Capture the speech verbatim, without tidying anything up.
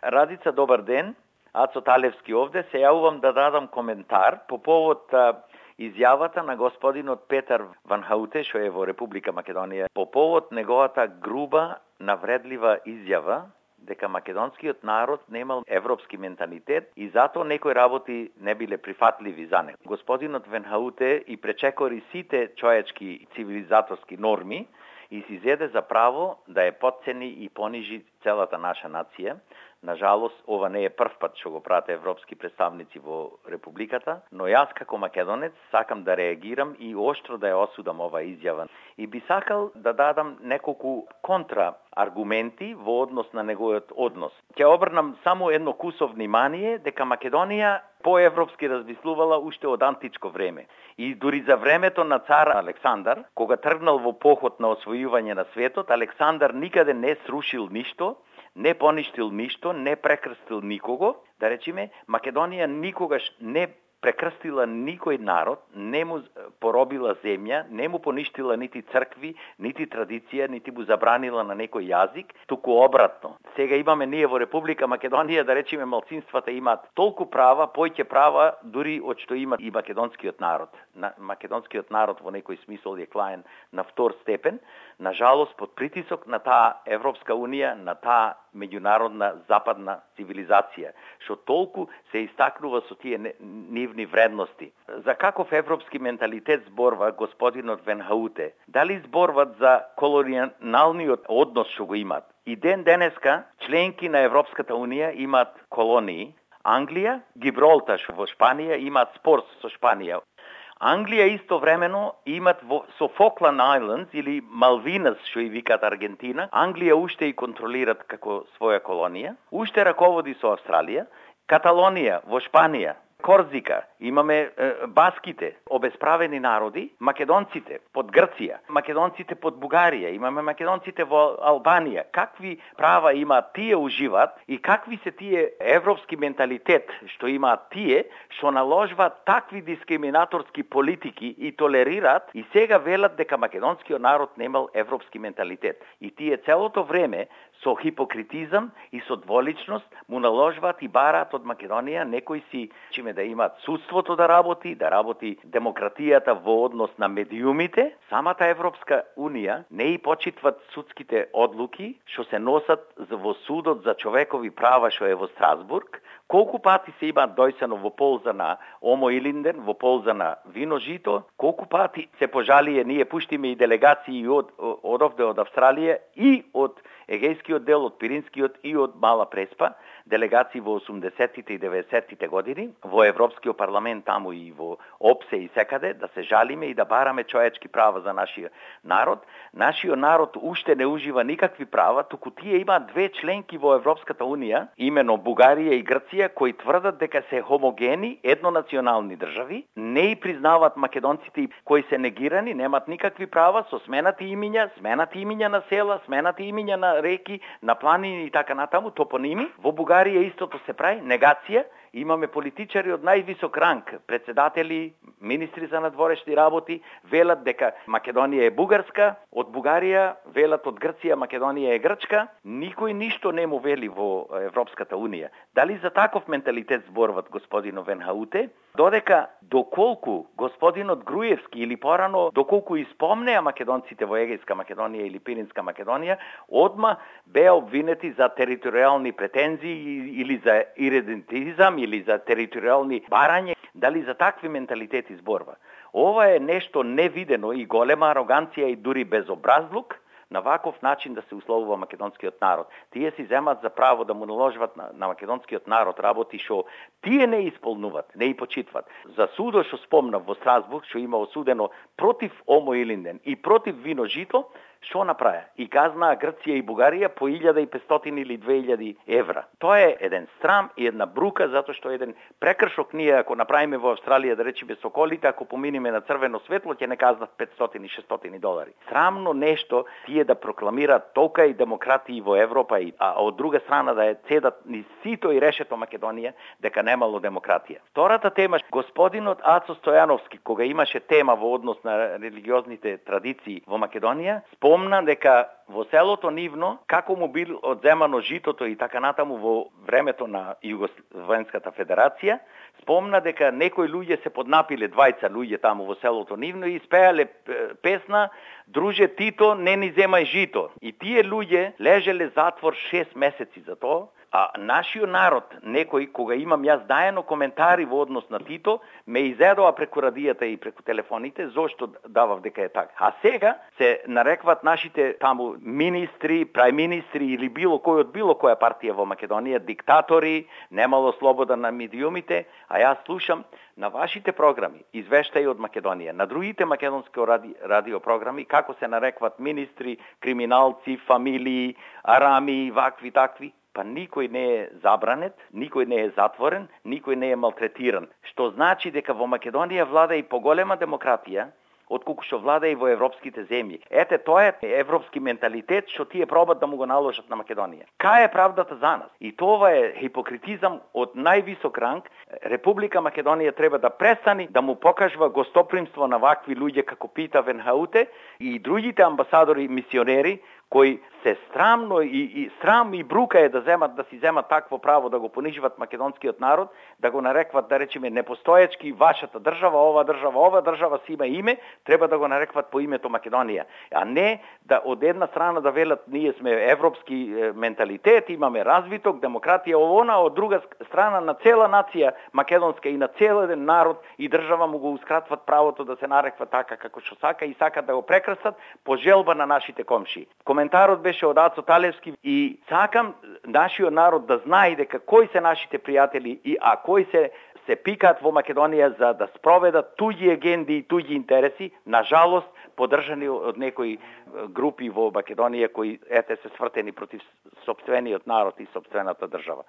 Радица, добар ден. Ацо Талевски овде. Се јавувам да дадам коментар по повод а, изјавата на господинот Петар Ван Хауте, што е во Република Македонија, по повод неговата груба, навредлива изјава дека македонскиот народ немал европски менталитет и затоа некои работи не биле прифатливи за него. Господинот Ван Хауте и пречекори сите човечки цивилизаторски норми и си зеде за право да е потцени и понижи целата наша нација. Нажалост, ова не е прв пат што го прават европски представници во Републиката, но јас како македонец сакам да реагирам и оштро да ја осудам ова изјава. И би сакал да дадам неколку контра аргументи во однос на неговиот однос. Ќе обрнам само едно кусо внимание дека Македонија поевропски размислувала уште од античко време. И дури за времето на цар Александар, кога тргнал во поход на освојување на светот, Александар никаде не срушил ништо, не поништил ништо, не прекрстил никого. Да речеме, Македонија никогаш не прекрстила никој народ, не му поробила земја, не му поништила нити цркви, нити традиција, нити му забранила на некој јазик, туку обратно. Сега имаме ние во Република Македонија, да речеме, малцинствата имаат толку права, појќе права, дури од што има и македонскиот народ. На, македонскиот народ во некој смисол е клаен на втор степен, на жалост под притисок на таа Европска унија, на таа меѓународна западна цивилизација, што толку се истакнува со тие нивни вредности. За каков европски менталитет зборва господинот Ван Хауте? Дали зборват за колониалниот однос што го имат? И ден денеска членки на Европската унија имаат колонии. Англија, Гибралтар во Шпанија имаат спор со Шпанија. Англија истовремено имат во, со Фокланд Айлендс или Малвинас, што и викаат Аргентина, Англија уште и контролират како своја колонија, уште раководи со Австралија, Каталонија во Шпанија, Корзика, имаме е, баските, обесправени народи, македонците под Грција, македонците под Бугарија, имаме македонците во Албанија. Какви права имаат тие уживаат и какви се тие европски менталитет што имаат тие, што наложваат такви дискриминаторски политики и толерираат и сега велат дека македонскиот народ немал европски менталитет. И тие целото време со хипокритизам и со дволичност му наложваат и бараат од Македонија некои си чиме да имаат судството да работи, да работи демократијата во однос на медиумите. Самата Европска унија не и почитват судските одлуки што се носат во судот за човекови права што е во Страсбург. Колку пати се имаат дојсано во полза на Омо Илинден, во полза на Вино Жито, колку пати се пожалие, ние пуштиме и делегации од, од овде од Австралија и од Егејскиот дел, од Пиринскиот и од Мала Преспа, делегации во осумдесеттите и деветдесеттите години, во Европскиот парламент таму и во ОПСЕ и секаде, да се жалиме и да бараме човечки права за нашиот народ. Нашиот народ уште не ужива никакви права, туку тие имаат две членки во Европската унија, имено Бугарија и Грција, кои тврдат дека се хомогени, еднонационални држави, не и признаваат македонците кои се негирани, немаат никакви права со сменати имиња, сменати имиња на села, сменати имиња на реки, на планини и така натаму, топоними. Во Бугарија истото се прави, негација. Имаме политичари од највисок ранг, председатели, министри за надворешни работи, велат дека Македонија е бугарска, од Бугарија велат од Грција Македонија е грчка. Никој ништо не му вели во Европската унија. Дали за таков менталитет зборват господинот Ван Хауте? Додека доколку господинот Груевски или порано доколку испомнеа македонците во Егејска Македонија или Пиринска Македонија, одма беа обвинети за територијални претензии или за иредентизам или за територијални барање. Дали за такви менталитети зборва? Ова е нешто невидено и голема ароганција и дури безобразлук на ваков начин да се условува македонскиот народ. Тие си земат за право да му наложат на, на македонскиот народ работи што тие не исполнуват, не и почитват. За судот што спомнав во Страсбург, што има осудено против Омо Илинден и против Вино Жито, што направи? И казнаа Грција и Бугарија по илјада и петстотини или две илјади евра. Тоа е еден срам и една брука, затоа што еден прекршок ние, ако направиме во Австралија, да речеме соколите, ако поминиме на црвено светло, ќе не казнат петстотини и шестстотини долари. Срамно нешто тие да прокламираат толка и демократии во Европа, и, а од друга страна да е цедат ни сито и решето Македонија дека немало демократија. Втората тема, господинот Ацо Стојановски, кога имаше тема во однос на религиозните традиции во Македонија, спомна дека во селото Нивно, како му бил одземано житото и така натаму во времето на Југословенската федерација, спомна дека некои луѓе се поднапиле, двајца луѓе таму во селото Нивно и испеале песна "Друже Тито, не ни земај жито". И тие луѓе лежеле затвор шест месеци за тоа. А нашиот народ, некој, кога имам јас дајано коментари во однос на Тито, ме изедоа преку радијата и преку телефоните, зошто давав дека е така. А сега се нарекват нашите таму министри, прајминистри или било кој од било која партија во Македонија, диктатори, немало слобода на медиумите, а јас слушам на вашите програми, извештаи од Македонија, на другите македонски ради, радиопрограми, како се нарекват министри, криминалци, фамилии, арами, вакви, такви. Па никој не е забранет, никој не е затворен, никој не е малтретиран. Што значи дека во Македонија влада и поголема демократија, отколку што влада и во европските земји. Ете, тоа е европски менталитет што тие пробат да му го наложат на Македонија. Кај е правдата за нас? И тоа е хипокритизам од највисок ранг. Република Македонија треба да престани да му покажува гостопримство на вакви луѓе како Пита Ванхауте и другите амбасадори и мисионери, кои се срамно и, и срам и брука е да земат да си земат такво право да го пониживат македонскиот народ, да го нарекват, да речеме, непостоечки вашата држава, ова држава, ова држава си има име, треба да го нарекват по името Македонија, а не да од една страна да велат ние сме европски е, менталитет, имаме развиток, демократија, овона, од друга страна на цела нација македонска и на цел еден народ и држава му гоускратват правото да се нареква така како што сака и сакат да го прекрасат по желба на нашите комшии. Коментарот беше од Ацо Талевски и сакам нашиот народ да знае дека кои се нашите пријатели и а кои се се пикаат во Македонија за да спроведат туѓи агенди и туѓи интереси, на жалост поддржани од некои групи во Македонија кои ете се свртени против сопствениот народ и сопствената држава.